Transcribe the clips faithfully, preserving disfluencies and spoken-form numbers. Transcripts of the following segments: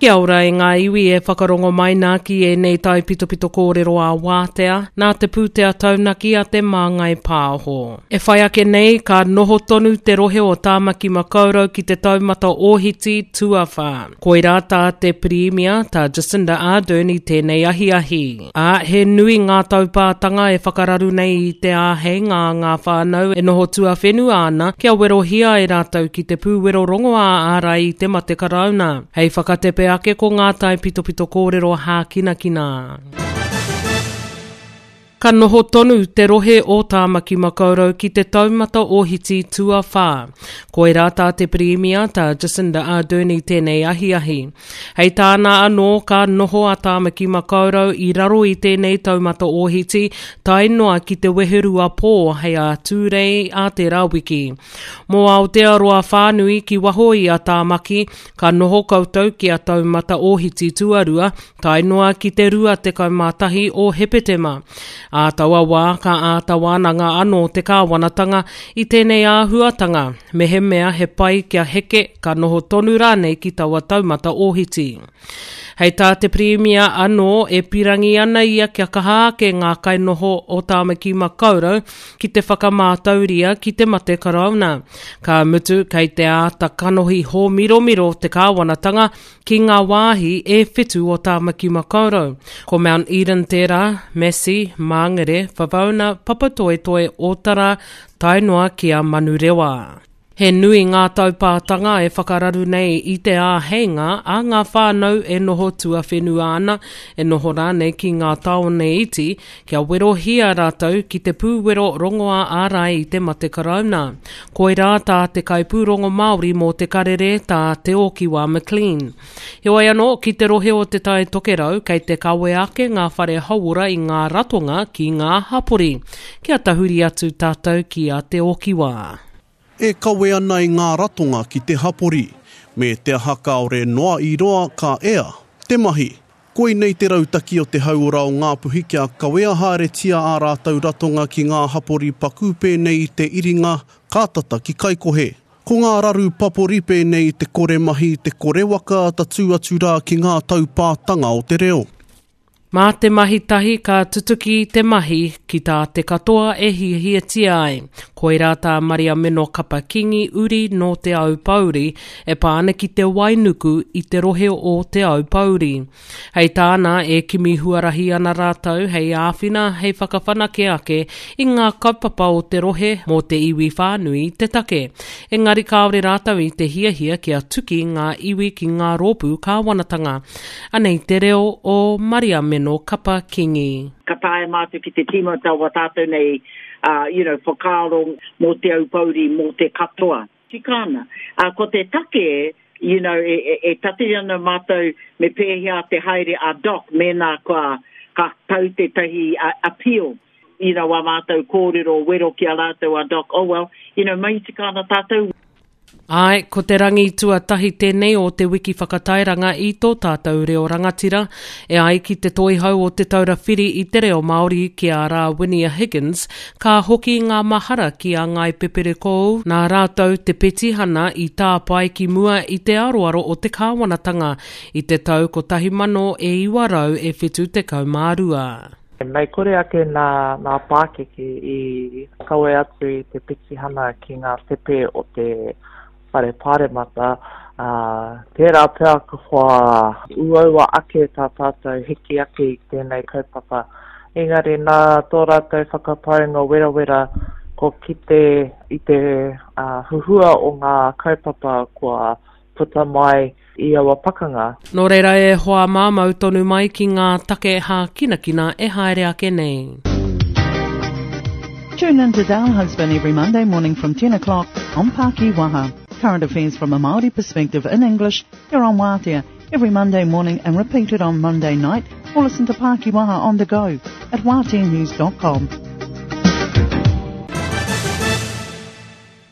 Kia ora e ngā iwi e whakarongo mai nā ki ēnei taipitopito kōrero a Wātea, nā te pūtea taunaki a te Māngai Pāho. E whai ake nei, ka noho tonu te rohe o Tāmaki Makaurau ki te taumata ōhiti tuawhā. Koirā tā te Pirimia, tā Jacinda Ardern i tēnei ahiahi. Ā, he nui ngā taupātanga e whakararu nei i te āheinga a ngā whānau e noho tuawhenua ana kia werohia e rātou ki te pūwero rongoā ārai i te mate karauna. Hei whakatepe ake ko ngā taipitopito kōrero hākinakina. Ka noho tonu te rohe o Tāmaki Makaurau ki te taumata ōhiti tuawhā. Koirā tā te Pirimia, tā Jacinda Ardern i tēnei ahiahi. Hei tāna anō ka noho a Tāmaki Makaurau i raro i tēnei taumata ōhiti tae noa ki te weherua pō hei a Tūrei a tērā wiki. Mō Aotearoa whānui ki waho i a Tāmaki, ka noho koutou ki a taumata ōhiti tuarua, tae noa ki te rua tekau mā tahi o Hepetema. Ā taua wā ka āta wānanga anō te kāwanatanga i tēnei āhuatanga, mehemea he pai kia heke ka noho tonu rānei ki taua taumata ōhiti. Hei tā te Pirimia anō e pirangi ana ia kia kaha ake ngā kainoho o Tāmaki Makaurau ki te whakamātauria ki te mate karauna. Ka mutu kei te āta kanohi hōmiromiro te kāwanatanga ki ngā wāhi e whitu o Tāmaki Makaurau. Ko Mount Eden tērā, Massey, Māngere, Whavauna, Papatoetoe, Ōtara, tae noa ki a Manurewa. He nui ngā taupātanga e whakararu nei i te āheinga a ngā whānau e noho tuawhenua ana, e noho rānei ki ngā tāone iti, kia werohia rātou ki te pūwero rongoā ārai i te mate karauna. Koirā tā te kaipūrongo Māori mō te karere tā Te Okiwa McLean. Heoi anō, ki te rohe o te Tai Tokerau, kei te kawe ake ngā whare hauora i ngā ratonga ki ngā hapori. Kia tahuri atu tātou ki a Te Okiwa. E kawe ana i ngā ratonga ki te hapori, me te aha kāore noa i roa ka ea te mahi. Koinei te rautaki o te hauora o Ngāpuhi kia kawea haeretia ā rātou ratonga ki ngā hapori paku pēnei i te iringa ka tata ki Kaikohe. Ko ngā raru papori pēnei i te kore mahi, te kore waka tatū atu rā ki ngā taupātanga o te reo. Mā te mahi tahi ka tutuki te mahi ki tā te katoa e hiahiatia ai. Koirā tā Mariameno Kapa Kingi uri nō Te Aupōuri e pā ana ki te wainuku i te rohe o Te Aupōuri. Hei tāna e kimi huarahi ana rātou hei āwhina hei whakawhanake ake i ngā kaupapa o te rohe mō te iwi whānui te take. Engari kāore rātou i te hiahia kia tuki ngā iwi ki ngā rōpū kāwanatanga. Anei te reo o Mariameno Kapa Kingi. Ka taea mātou ki te tīmata o tātou nei, uh, you know, whakaaro mō Te Aupōuri, mō te katoa. Tika ana. Uh, ko te take, you know, e, e, e tatiri ana mātou me pēhea te haere a Doc mēnā kua ka tau tētahi uh, appeal. You know, a mātou kōrero wero ki a rātou a Doc, oh well, you know, mahi tika ana tātou. Āe, ko te rangi tuatahi tēnei o te wiki whakatairanga i tō tātou reo rangatira, e ai ki te toihau o Te Taura Whiri i te reo Māori ki a Rāwinia Higgins, ka hoki ngā mahara ki a Ngāi Peperekōu, nā rātou te petihana i tāpae ki mua i te aroaro o te kāwanatanga i te tau kotahi mano e iwa rau e whitu tekau mā rua. Mei kore ake nā, nā pākeke i kawe atu i te petihana ki ngā tepe o te whare pāremata, uh, tērā pea kua uaua ake tā tātou hiki ake i tēnei kaupapa. Engari nā tō rātou whakapaunga werawera ko kite i te uh, huhua o ngā kaupapa kua puta mai i aua pakanga. Nō reira e hoa mā mau tonu mai ki ngā take hākinakina e haere ake nei. Tune in to Dale Husband every Monday morning from ten o'clock on Pākiwaha. Current affairs from a Māori perspective in English here on Wātea every Monday morning and repeated on Monday night, or listen to Pākiwaha on the go at wātea news dot com.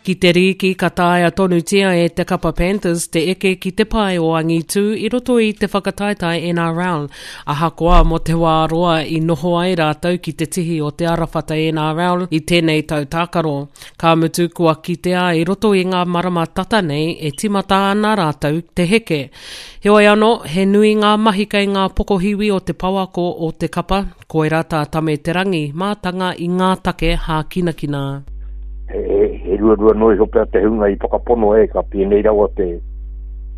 Ki te rīki ka taea tonutia e te kapa Panthers te eke ki te pae o angitū i roto i te whakataetae N R L. Ahakoa mō te wā roa i noho ai rātou ki te tihi o te arawhata N R L i tēnei tau tākaro. Ka mutu kua kitea i roto i ngā marama tata nei e timata ana rātou te heke. Heoi anō, he nui ngā mahi kei ngā pokohiwi o te pouako o te kapa, koirā tā Tame Te Rangi, mātanga i ngā take hākinakina. He, he ruarua noa iho pea te hunga i whakapono e ka pēnei rawa te,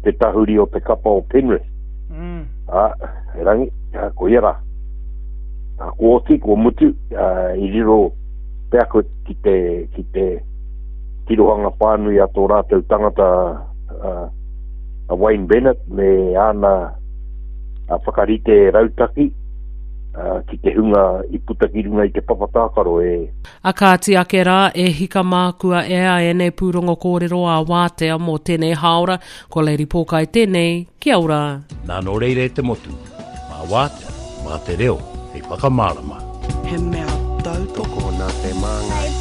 te tahuri o te kapa o Penrith. Mm. A, erangi, a, ko ia rā. A, ko oti, ko mutu, a, i riro pea ko ki te, ki te tirohanga whānui a tō rātou tangata a, a Wayne Bennett me āna a whakarite rautaki a, ki te hunga i puta ki runga i te papa tākaro e. A kāti ake rā e hika mā kua ea ēnei pūrongo kōrero a Wātea mō tēnei hāora, ko Lady Pōkai tēnei, kia ora. Nā nō reira e te motu, mā Wātea, mā te reo, hei whakamārama. He mea tautoko nā te Māngai.